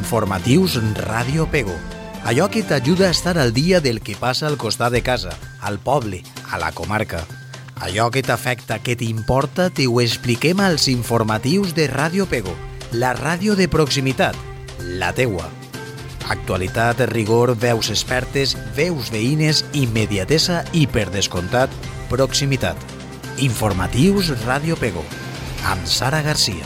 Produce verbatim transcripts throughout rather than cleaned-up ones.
Informatius Ràdio Pego. Allò que t'ajuda a estar al dia del que passa al costat de casa, al poble, a la comarca. Allò que t'afecta, que t'importa, te ho expliquem als informatius de Ràdio Pego, la ràdio de proximitat, la teua. Actualitat, rigor, veus expertes, veus veïnes, immediatesa i, per descomptat, proximitat. Informatius Ràdio Pego, amb Sara Garcia.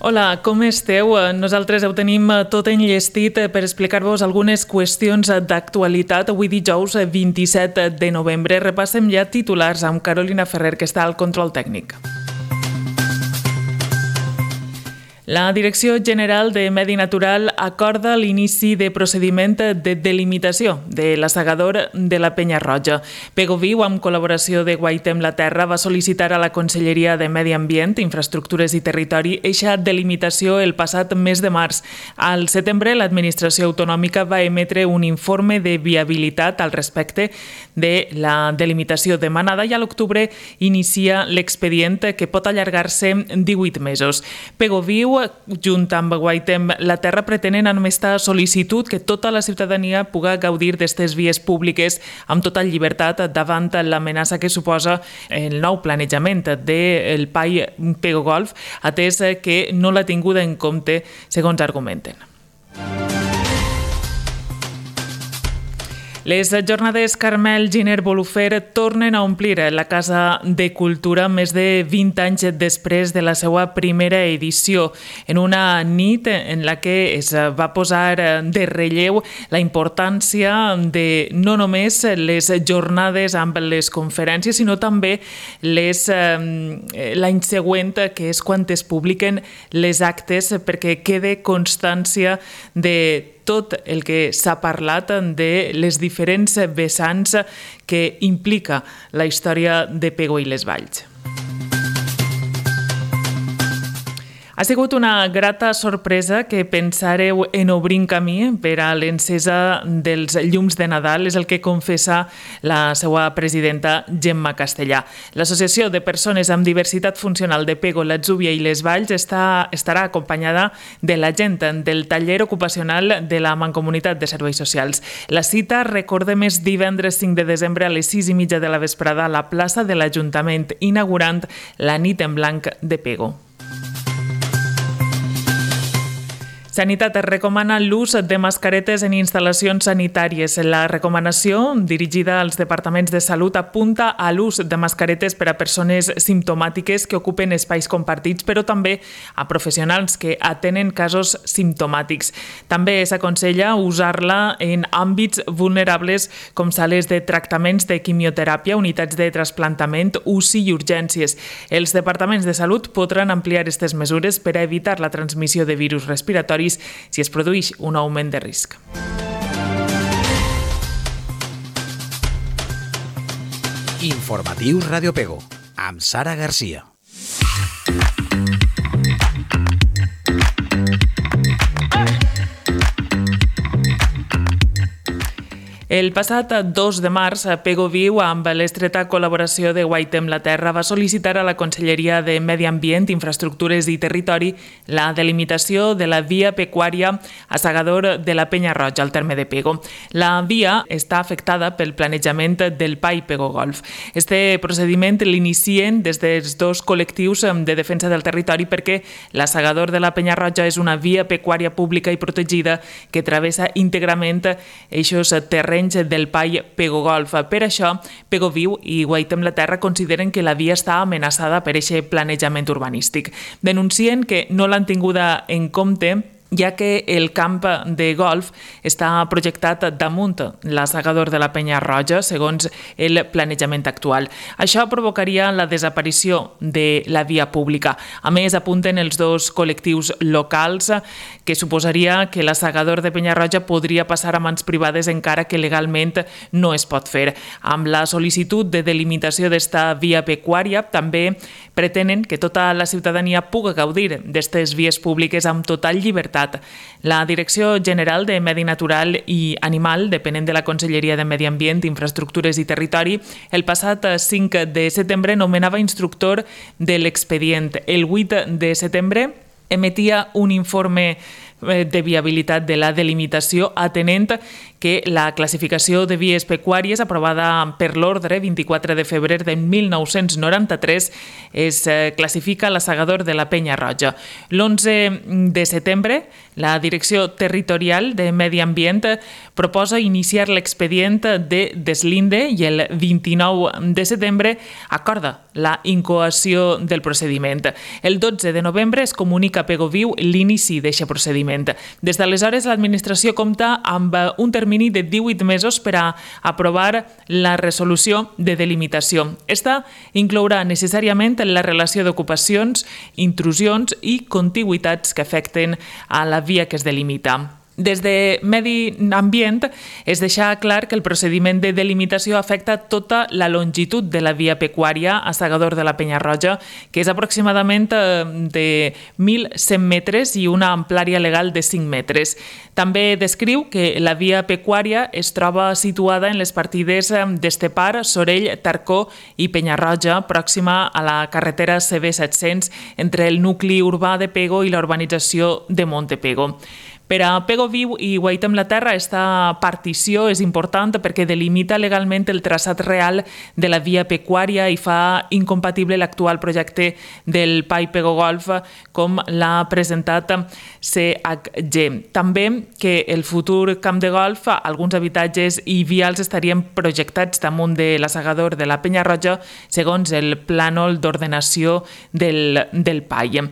Hola, com esteu? Nosaltres ho tenim tot enllestit per explicar-vos algunes qüestions d'actualitat. Avui dijous vint-i-set de novembre repassem ja titulars amb Carolina Ferrer, que està al control tècnic. La Direcció General de Medi Natural acorda l'inici de procediment de delimitació de l'assegador de la Penya Roja. Pego Viu, amb col·laboració de Guaitem la Terra, va sol·licitar a la Conselleria de Medi Ambient, Infraestructures i Territori eixa delimitació el passat mes de març. Al setembre, l'administració autonòmica va emetre un informe de viabilitat al respecte de la delimitació demanada i a l'octubre inicia l'expedient, que pot allargar-se divuit mesos. Pego Viu, junt amb Guaitem la Terra, pretenen amb aquesta sol·licitud que tota la ciutadania pugui gaudir d'aquestes vies públiques amb total llibertat davant l'amenaça que suposa el nou planejament del P A I Pego Golf, atès que no l'ha tinguda en compte, segons argumenten. Les jornades Carmel Giner Bolufer tornen a omplir la Casa de Cultura més de vint anys després de la seva primera edició, en una nit en la que es va posar de relleu la importància de no només les jornades amb les conferències, sinó també les, eh, l'any següent, que és quan es publiquen les actes, perquè quede constància de tot el que s'ha parlat de les diferents vessants que implica la història de Pego i les Valls. Ha sigut una grata sorpresa que pensàreu en obrir camí per a l'encesa dels llums de Nadal, és el que confessa la seva presidenta Gemma Castellà. L'Associació de Persones amb Diversitat Funcional de Pego, l'Atzúbia i les Valls està, estarà acompanyada de la gent del taller ocupacional de la Mancomunitat de Serveis Socials. La cita, recordem, és divendres cinc de desembre a les sis i mitja de la vesprada a la plaça de l'Ajuntament, inaugurant la nit en blanc de Pego. Sanitat recomana l'ús de mascaretes en instal·lacions sanitàries. La recomanació, dirigida als departaments de salut, apunta a l'ús de mascaretes per a persones simptomàtiques que ocupen espais compartits, però també a professionals que atenen casos simptomàtics. També s'aconsella usar-la en àmbits vulnerables com sales de tractaments de quimioteràpia, unitats de trasplantament, U C I i urgències. Els departaments de salut podran ampliar aquestes mesures per a evitar la transmissió de virus respiratoris si es produeix un augment de risc. Informatius Ràdio Pego, amb Sara Garcia. El passat dos de març, Pego Viu, amb l'estreta col·laboració de Guaitem la Terra, va sol·licitar a la Conselleria de Medi Ambient, Infraestructures i Territori la delimitació de la via pecuària a Segador de la Penya Roja, al terme de Pego. La via està afectada pel planejament del P A I Pego Golf. Este procediment l'inicien des dels dos col·lectius de defensa del territori perquè la Segador de la Penya Roja és una via pecuària pública i protegida que travessa íntegrament eixos terrenys del P A I Pego Golf. Per això, Pego Viu i Guaitem la Terra consideren que la via està amenaçada per aquest planejament urbanístic. Denuncien que no l'han tinguda en compte ja que el camp de golf està projectat damunt l'assegador de la Penya Roja, segons el planejament actual. Això provocaria la desaparició de la via pública. A més, apunten els dos col·lectius locals que suposaria que l'assegador de Penya Roja podria passar a mans privades encara que legalment no es pot fer. Amb la sol·licitud de delimitació d'esta via pecuària, també pretenen que tota la ciutadania pugui gaudir d'aquestes vies públiques amb total llibertat. La Direcció General de Medi Natural i Animal, depenent de la Conselleria de Medi Ambient, Infraestructures i Territori, el passat cinc de setembre nomenava instructor de l'expedient. El vuit de setembre emetia un informe de viabilitat de la delimitació atenent que la classificació de vies pecuàries aprovada per l'ordre vint-i-quatre de febrer de mil nou-cents noranta-tres es classifica la Segador de la Penya Roja. L'onze de setembre, la Direcció Territorial de Medi Ambient proposa iniciar l'expedient de deslinde i el vint-i-nou de setembre acorda la incoació del procediment. El dotze de novembre es comunica a Pegoviu l'inici d'aquest procediment. Des d'aleshores, l'administració compta amb un termini de divuit mesos per a aprovar la resolució de delimitació. Esta inclourà necessàriament la relació d'ocupacions, intrusions i contigüitats que afecten a la via que es delimita. Des de Medi Ambient es deixa clar que el procediment de delimitació afecta tota la longitud de la via pecuària a Segador de la Penya Roja, que és aproximadament de mil cent metres i una amplària legal de cinc metres. També descriu que la via pecuària es troba situada en les partides d'Estepar, Sorell, Tarcó i Penya Roja, pròxima a la carretera C B set-cents entre el nucli urbà de Pego i la urbanització de Montepego. Per a Pegoviu i Guaitem la Terra, esta partició és important perquè delimita legalment el traçat real de la via pecuària i fa incompatible l'actual projecte del P A I Pego Golf com l'ha presentat C H G. També que el futur camp de golf, alguns habitatges i vials estarien projectats damunt de la Segador de la Penya Roja segons el plànol d'ordenació del, del P A I.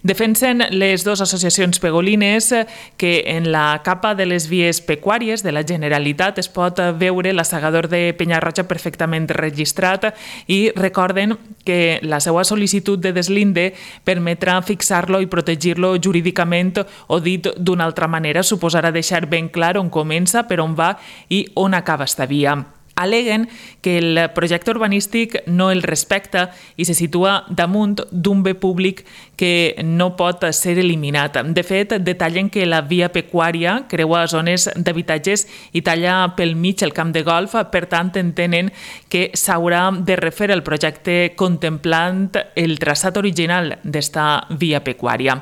Defensen les dues associacions pegolines que en la capa de les vies pecuàries de la Generalitat es pot veure la Segador de Penya Roja perfectament registrat i recorden que la seva sol·licitud de deslinde permetrà fixar-lo i protegir-lo jurídicament o dit d'una altra manera, suposarà deixar ben clar on comença, per on va i on acaba esta via. Aleguen que el projecte urbanístic no el respecta i se situa damunt d'un bé públic que no pot ser eliminat. De fet, detallen que la via pecuària creua zones d'habitatges i talla pel mig el camp de golf, per tant entenen que s'haurà de refer el projecte contemplant el traçat original d'esta via pecuària.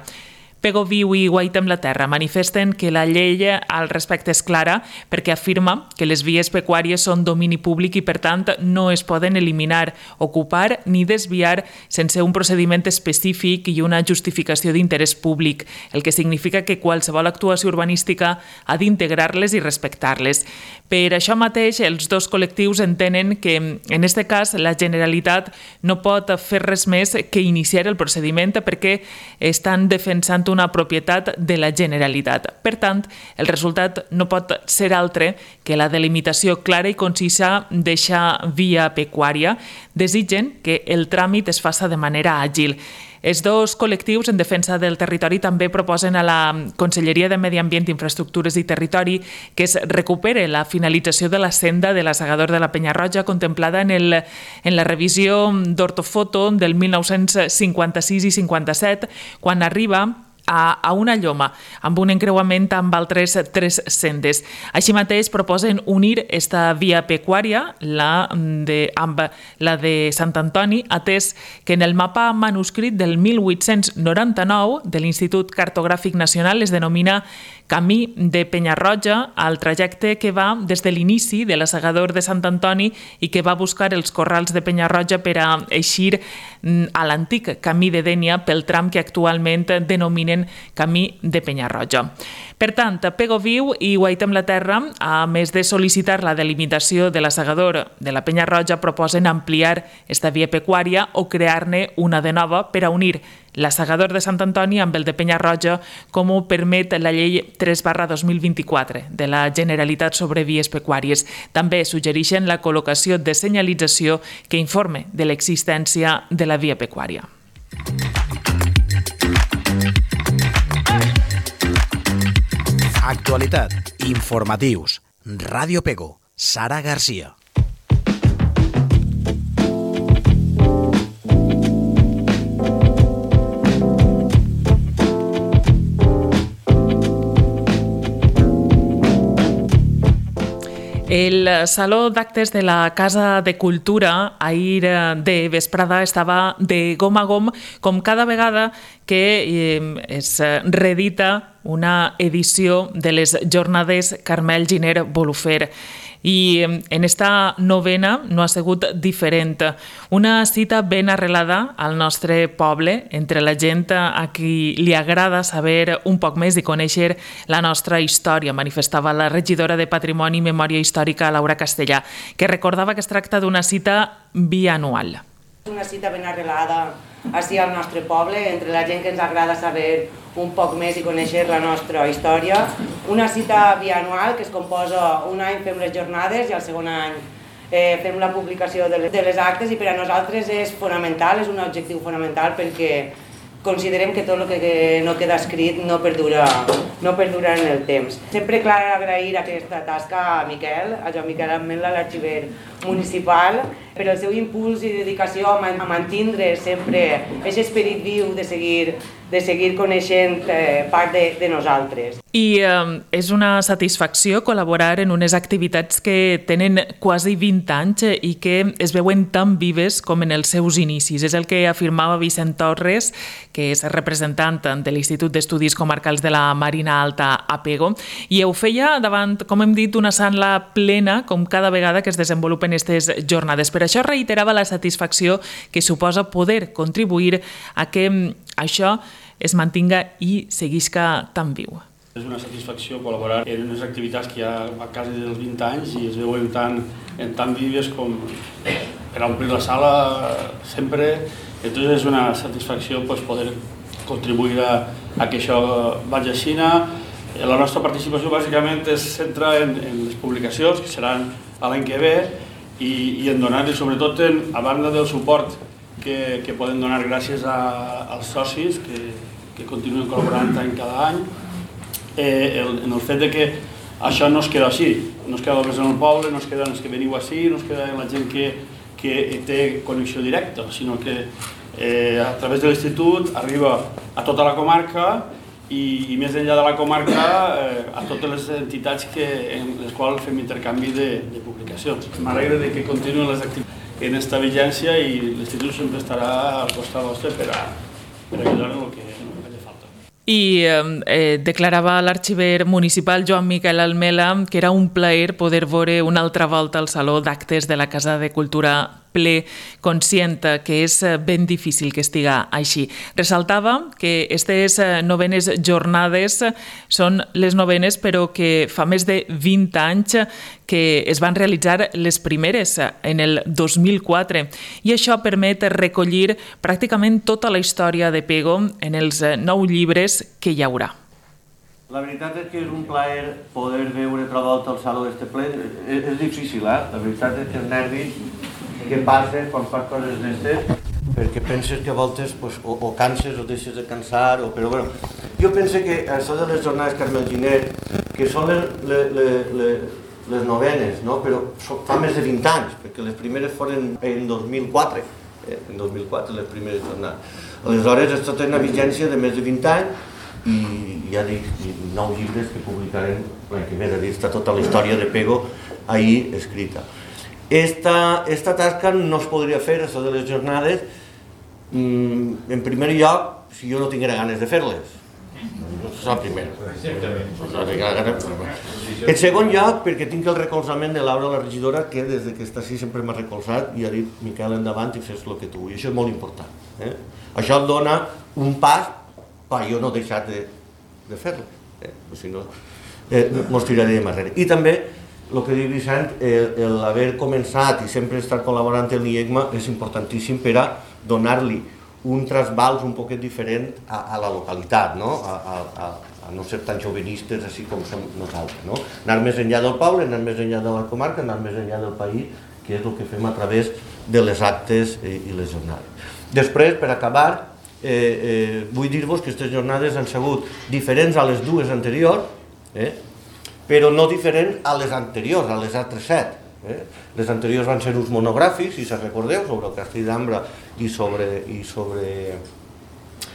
Pegoviu i Guaitem la Terra manifesten que la llei al respecte és clara perquè afirma que les vies pecuàries són domini públic i, per tant, no es poden eliminar, ocupar ni desviar sense un procediment específic i una justificació d'interès públic, el que significa que qualsevol actuació urbanística ha d'integrar-les i respectar-les. Per això mateix, els dos col·lectius entenen que, en aquest cas, la Generalitat no pot fer res més que iniciar el procediment perquè estan defensant una propietat de la Generalitat. Per tant, el resultat no pot ser altre que la delimitació clara i concisa d'eixa via pecuària. Desitgen que el tràmit es faça de manera àgil. Els dos col·lectius en defensa del territori també proposen a la Conselleria de Medi Ambient, Infraestructures i Territori que es recupere la finalització de la senda de la Segador de la Penya Roja contemplada en, el, en la revisió d'ortofoto del mil nou-cents cinquanta-sis i cinquanta-set, quan arriba a, a una lloma, amb un encreuament amb altres tres sendes. Així mateix proposen unir esta via pecuària la de, amb la de Sant Antoni, atès que en el mapa manuscrit del mil vuit-cents noranta-nou de l'Institut Cartogràfic Nacional es denomina Camí de Penya Roja al trajecte que va des de l'inici de la Segador de Sant Antoni i que va buscar els corrals de Penya Roja per a eixir a l'antic Camí de Dénia pel tram que actualment denominen Camí de Penya Roja. Per tant, Pegoviu i Guaitem la Terra, a més de sol·licitar la delimitació de la Segador de la Penya Roja, proposen ampliar esta via pecuària o crear-ne una de nova per a unir la Segador de Sant Antoni amb el de Penya Roja, com ho permet la llei tres barra dos mil vint-i-quatre de la Generalitat sobre vies pecuàries. També suggereixen la col·locació de senyalització que informe de l'existència de la via pecuària. Actualitat, informatius, Ràdio Pego, Sara Garcia. El Saló d'Actes de la Casa de Cultura ahir de vesprada estava de gom a gom, com cada vegada que eh, es reedita una edició de les jornades Carmel Giner Bolufer. I en esta novena no ha sigut diferent. Una cita ben arrelada al nostre poble, entre la gent a qui li agrada saber un poc més i conèixer la nostra història, manifestava la regidora de Patrimoni i Memòria Històrica, Laura Castellà, que recordava que es tracta d'una cita bianual. Una cita ben arrelada així al nostre poble, entre la gent que ens agrada saber un poc més i conèixer la nostra història. Una cita bianual que es composa, un any fem les jornades i el segon any eh, fem la publicació de les, de les actes, i per a nosaltres és fonamental, és un objectiu fonamental, perquè considerem que tot el que no queda escrit no perdura, no perdura en el temps. Sempre cal agrair aquesta tasca a Miquel, a Joan Miquel Ametlla, l'arxiver municipal, per el seu impuls i dedicació a mantindre sempre aquest esperit viu de seguir, de seguir coneixent eh, part de, de nosaltres. I eh, és una satisfacció col·laborar en unes activitats que tenen quasi vint anys i que es veuen tan vives com en els seus inicis. És el que afirmava Vicent Torres, que és representant de l'Institut d'Estudis Comarcals de la Marina Alta a Pego, i ho feia davant, com hem dit, una sala plena, com cada vegada que es desenvolupen aquestes jornades. Per això reiterava la satisfacció que suposa poder contribuir a que això es mantinga i seguisca tan viu. És una satisfacció col·laborar en unes activitats que ja a quasi dels vint anys i es veuen tan, tan vives com per omplir la sala sempre. Entonces és una satisfacció pues, poder contribuir a, a que això vagi així. La nostra participació bàsicament es centra en, en les publicacions, que seran l'any que ve, i, i en donar-li sobretot, en, a banda del suport que, que poden donar gràcies a, als socis que, que continuen col·laborant any cada any, eh, el, en el fet de que això no es queda així, no es queda només en el poble, no es queda en els que veniu així, no es queda en la gent que, que té connexió directa, sinó que eh, a través de l'institut arriba a tota la comarca i, i més enllà de la comarca eh, a totes les entitats que, en les quals fem intercanvi de, de publicacions. M'alegra de que continuen les activitats en esta vigència i l'institut sempre estarà al costat vostre per a, per a ajudar en el que faci falta. I eh, declarava l'arxiver municipal Joan Miquel Ametlla que era un plaer poder veure una altra volta al Saló d'Actes de la Casa de Cultura ple, conscient que és ben difícil que estiga així. Ressaltava que aquestes novenes jornades són les novenes, però que fa més de vint anys que es van realitzar les primeres, en el dos mil quatre, i això permet recollir pràcticament tota la història de Pego en els nou llibres que hi haurà. La veritat és que és un plaer poder veure altra volta el Saló d'este ple. És, és difícil, eh? La veritat és que els nervis que passa quan fas coses d'estes, perquè penses que a voltes pues, o, o canses o deixes de cansar, o, però bueno, jo penso que això de les jornades Carmel Giner, que són les, les, les, les novenes, no? Però fa més de vint anys, perquè les primeres foren en dos mil quatre, eh? en dos mil quatre les primeres jornades. Aleshores, això té una vigència de més de vint anys, i ja dic, nou llibres que publicarem l'any que ve, és a dir, està tota la història de Pego ahir escrita. Esta, esta tasca no es podria fer, això de les jornades, en primer lloc, si jo no tinguera ganes de fer-les. Això és el primer. En segon lloc, perquè tinc el recolzament de Laura, la regidora, que des que està així sempre m'ha recolzat i ha dit, Miquel, endavant i fes el que tu vull. Això és molt important. Eh? Això et dona un pas per jo no deixar de, de fer-les. Eh? Si no, eh, mos tiraré de darrere. I també, el que diu Vicent, l'haver començat i sempre estar col·laborant amb l'I E C M A és importantíssim per a donar-li un trasbals un poquet diferent a, a la localitat, no? A, a, a no ser tan jovenistes així com som nosaltres. No? Anar més enllà del poble, anar més enllà de la comarca, anar més enllà del país, que és el que fem a través de les actes i les jornades. Després, per acabar, eh, eh, vull dir-vos que aquestes jornades han sigut diferents a les dues anteriors, eh? però no diferent a les anteriors, a les altres set. Eh? Les anteriors van ser uns monogràfics, si se recordeu, sobre el castell d'Ambra i sobre, i sobre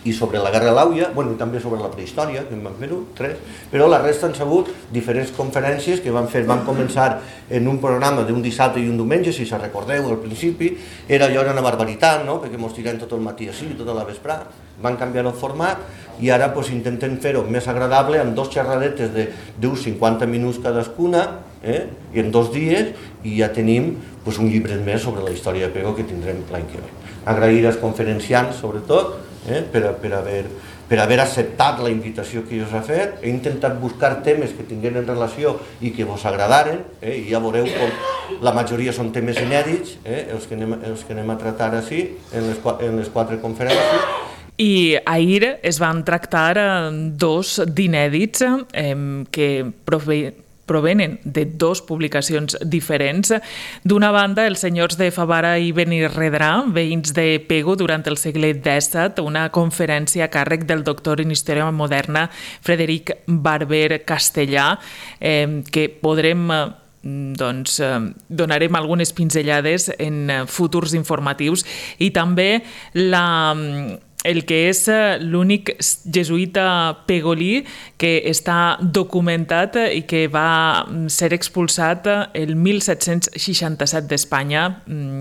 i sobre la Guerra de l'Àuia, bueno, i també sobre la prehistòria, que en van fer-ho, tres, però la resta han sigut diferents conferències que van fer, van començar en un programa d'un dissabte i un diumenge, si se recordeu, al principi, era allò era una barbaritat, no?, perquè mos tirem tot el matí així, tota la vesprà, van canviar el format i ara pues, intentem fer-ho més agradable amb dos xerradetes d'uns cinquanta minuts cadascuna, eh? I en dos dies, i ja tenim pues, un llibre més sobre la història de Pego que tindrem l'any que ve. Agrair als conferenciants, sobretot, eh? per, per, haver, per haver acceptat la invitació que us ha fet. He intentat buscar temes que tinguin relació i que vos agradaren, eh? I ja veureu com la majoria són temes inèdits, eh? els, que anem, els que anem a tractar així en les, en les quatre conferències. I ahir es van tractar dos d'inèdits eh, que prové provenen de dues publicacions diferents. D'una banda, els senyors de Favara i Benirredrà, veïns de Pego durant el segle disset, una conferència a càrrec del doctor en Història Moderna Frederic Barber Castellà, eh, que podrem... doncs donarem algunes pinzellades en futurs informatius, i també la... el que és l'únic jesuïta pegolí que està documentat i que va ser expulsat el mil set-cents seixanta-set d'Espanya,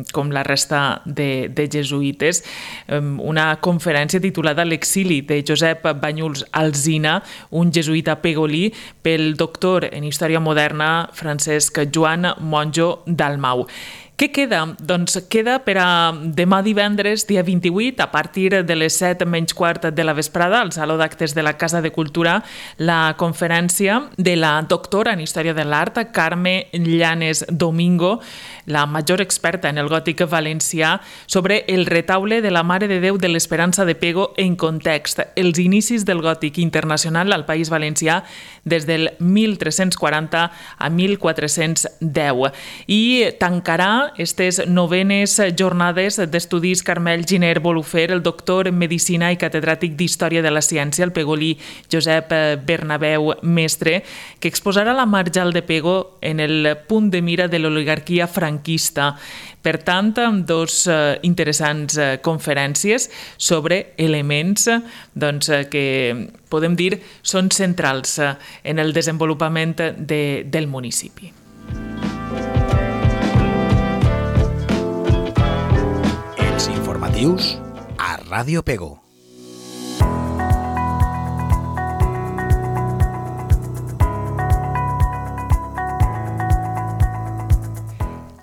com la resta de, de jesuïtes. Una conferència titulada L'exili de Josep Banyuls Alsina, un jesuïta pegolí, pel doctor en Història Moderna Francesc Joan Monjo Dalmau. Què queda? Doncs queda per a demà divendres, dia vint-i-vuit, a partir de les set menys quart de la vesprada, al Saló d'Actes de la Casa de Cultura, la conferència de la doctora en Història de l'Art, Carme Llanes Domingo, la major experta en el gòtic valencià, sobre el retaule de la Mare de Déu de l'Esperança de Pego en context, els inicis del gòtic internacional al País Valencià des del mil tres-cents quaranta a mil quatre-cents deu. I tancarà aquestes novenes jornades d'estudis Carmel Giner Bolufer, el doctor en Medicina i catedràtic d'Història de la Ciència, el pegolí Josep Bernabeu Mestre, que exposarà la Marjal de Pego en el punt de mira de l'oligarquia franquista. Per tant, dos interessants conferències sobre elements doncs, que podem dir són centrals en el desenvolupament de, del municipi. Els informatius a Ràdio Pego.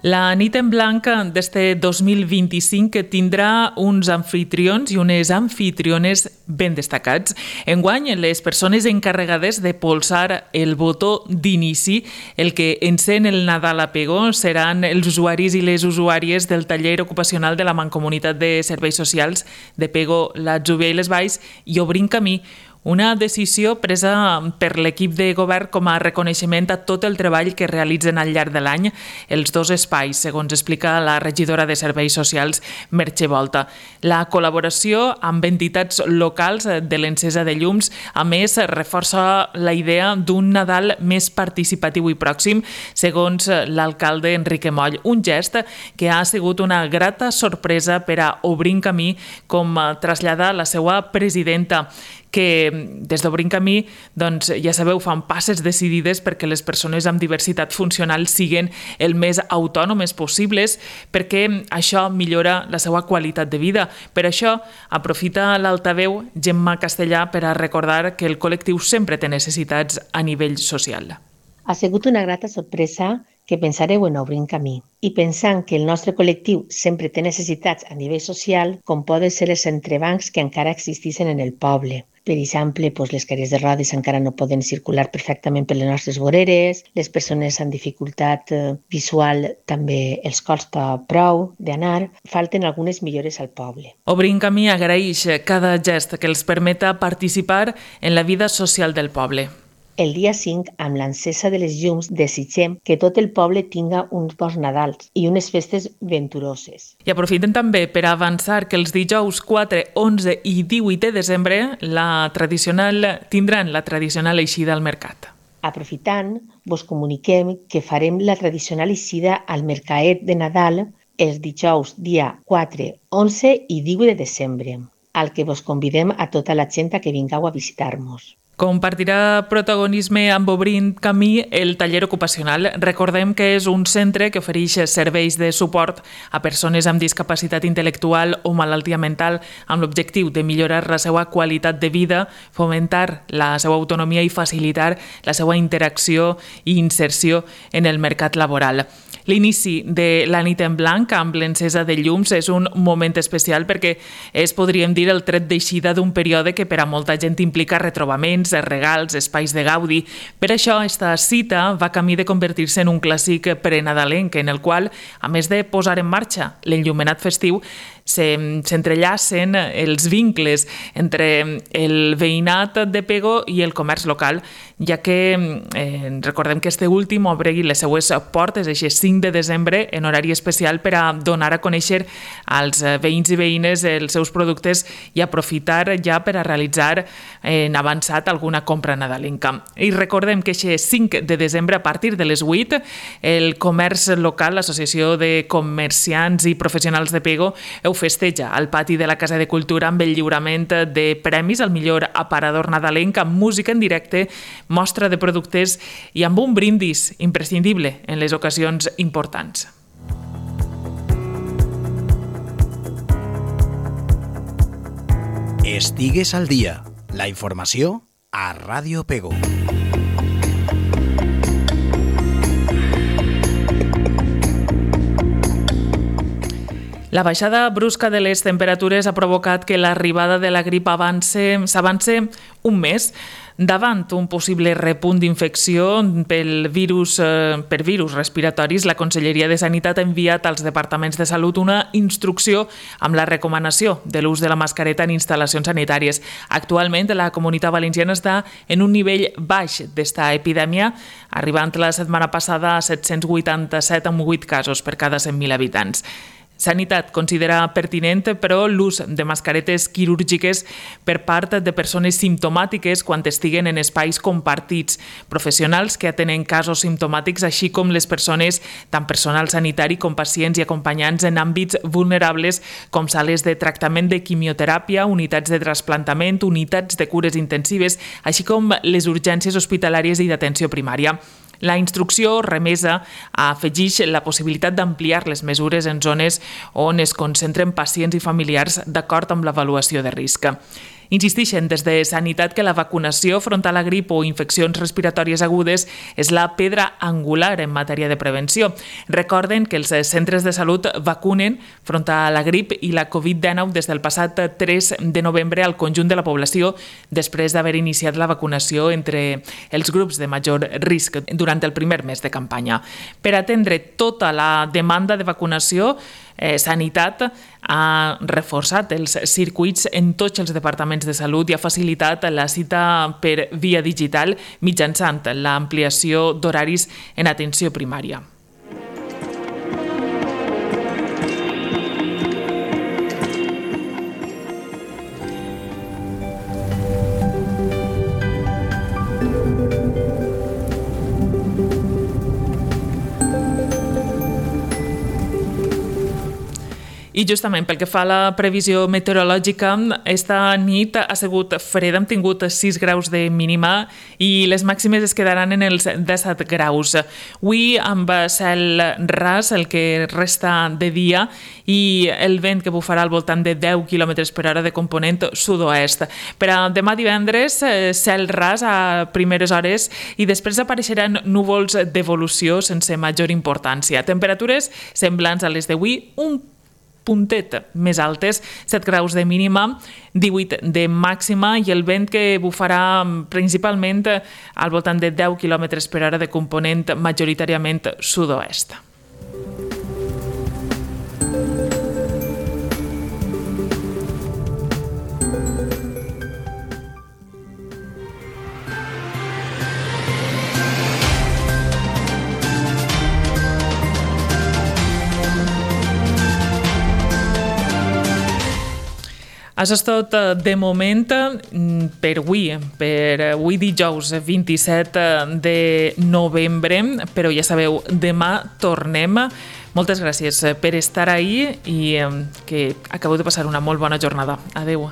La nit en blanc d'este dos mil vint-i-cinc tindrà uns anfitrions i unes anfitriones ben destacats. Enguany, les persones encarregades de polsar el botó d'inici, el que encén el Nadal a Pego, seran els usuaris i les usuàries del taller ocupacional de la Mancomunitat de Serveis Socials de Pego, l'Atzúbia i les Valls i Obrint Camí, una decisió presa per l'equip de govern com a reconeixement a tot el treball que realitzen al llarg de l'any els dos espais, segons explica la regidora de Serveis Socials, Merche Volta. La col·laboració amb entitats locals de l'encesa de llums, a més, reforça la idea d'un Nadal més participatiu i pròxim, segons l'alcalde Enrique Moll, un gest que ha sigut una grata sorpresa per a Obrint Camí, com trasllada la seva presidenta, que des d'Obrint Camí, doncs, ja sabeu, fan passes decidides perquè les persones amb diversitat funcional siguin el més autònomes possibles, perquè això millora la seva qualitat de vida. Per això, aprofita l'altaveu Gemma Castellà per a recordar que el col·lectiu sempre té necessitats a nivell social. Ha sigut una grata sorpresa que pensareu en Obrint Camí i pensant que el nostre col·lectiu sempre té necessitats a nivell social, com poden ser els entrebancs que encara existeixen en el poble. Per exemple, doncs les cadires de rodes encara no poden circular perfectament per les nostres voreres, les persones amb dificultat visual també els costa prou d'anar, falten algunes millores al poble. Obrint Camí agraeix cada gest que els permeta participar en la vida social del poble. El dia cinc, amb l'encesa de les llums, desitgem que tot el poble tinga uns bons Nadals i unes festes venturoses. I aprofiten també per avançar que els dijous quatre, onze i divuit de desembre la tradicional tindran la tradicional eixida al mercat. Aprofitant, vos comuniquem que farem la tradicional eixida al mercaet de Nadal els dijous dia quatre, onze i divuit de desembre. al que vos convidem a tota la gent a que vingueu a visitar-nos. Compartirà protagonisme amb Obrint Camí el taller ocupacional. Recordem que és un centre que ofereix serveis de suport a persones amb discapacitat intel·lectual o malaltia mental amb l'objectiu de millorar la seva qualitat de vida, fomentar la seva autonomia i facilitar la seva interacció i inserció en el mercat laboral. L'inici de la nit en blanc amb l'encesa de llums és un moment especial perquè és, podríem dir, el tret d'eixida d'un període que per a molta gent implica retrobaments, regals, espais de gaudi. Per això, esta cita va camí de convertir-se en un clàssic prenadalenc en el qual, a més de posar en marxa l'enllumenat festiu, s'entrellacen els vincles entre el veïnat de Pego i el comerç local, ja que eh, recordem que este últim obre les seues portes aquest cinc de desembre en horari especial per a donar a conèixer als veïns i veïnes els seus productes i aprofitar ja per a realitzar en avançat alguna compra nadalenca. I recordem que aquest cinc de desembre, a partir de les vuit, el comerç local, l'Associació de Comerciants i Professionals de Pego, ho festeja al pati de la Casa de Cultura amb el lliurament de premis al millor aparador nadalenc, amb música en directe, mostra de productes i amb un brindis imprescindible en les ocasions importants. Estigues al dia. La informació a Ràdio Pego. La baixada brusca de les temperatures ha provocat que l'arribada de la grip s'avance un mes. Davant un possible repunt d'infecció pel virus, eh, per virus respiratoris, la Conselleria de Sanitat ha enviat als departaments de salut una instrucció amb la recomanació de l'ús de la mascareta en instal·lacions sanitàries. Actualment, la Comunitat Valenciana està en un nivell baix d'esta epidèmia, arribant la setmana passada a set-cents vuitanta-set amb vuit casos per cada cent mil habitants. Sanitat considera pertinent, però, l'ús de mascaretes quirúrgiques per part de persones simptomàtiques quan estiguen en espais compartits, professionals que atenen casos simptomàtics, així com les persones, tant personal sanitari com pacients i acompanyants en àmbits vulnerables com sales de tractament de quimioteràpia, unitats de trasplantament, unitats de cures intensives, així com les urgències hospitalàries i d'atenció primària. La instrucció remesa afegeix la possibilitat d'ampliar les mesures en zones on es concentren pacients i familiars d'acord amb l'avaluació de risc. Insisteixen des de Sanitat que la vacunació front a la grip o infeccions respiratòries agudes és la pedra angular en matèria de prevenció. Recorden que els centres de salut vacunen front a la grip i la covid dinou des del passat tres de novembre al conjunt de la població, després d'haver iniciat la vacunació entre els grups de major risc durant el primer mes de campanya. Per atendre tota la demanda de vacunació, Eh, Sanitat ha reforçat els circuits en tots els departaments de salut i ha facilitat la cita per via digital mitjançant l'ampliació d'horaris en atenció primària. I justament pel que fa a la previsió meteorològica, esta nit ha sigut freda, hem tingut sis graus de mínima i les màximes es quedaran en els disset graus. Avui amb cel ras el que resta de dia i el vent que bufarà al voltant de deu quilòmetres per hora de component sud-oest. Per a demà divendres, cel ras a primeres hores i després apareixeran núvols d'evolució sense major importància. Temperatures semblants a les d'avui, un puntet més altes, set graus de mínima, divuit de màxima i el vent que bufarà principalment al voltant de deu quilòmetres per hora de component majoritàriament sud-oest. Això és tot de moment per avui, per avui dijous vint-i-set de novembre, però ja sabeu, demà tornem Moltes gràcies per estar ahí i que acabeu de passar una molt bona jornada. Adéu.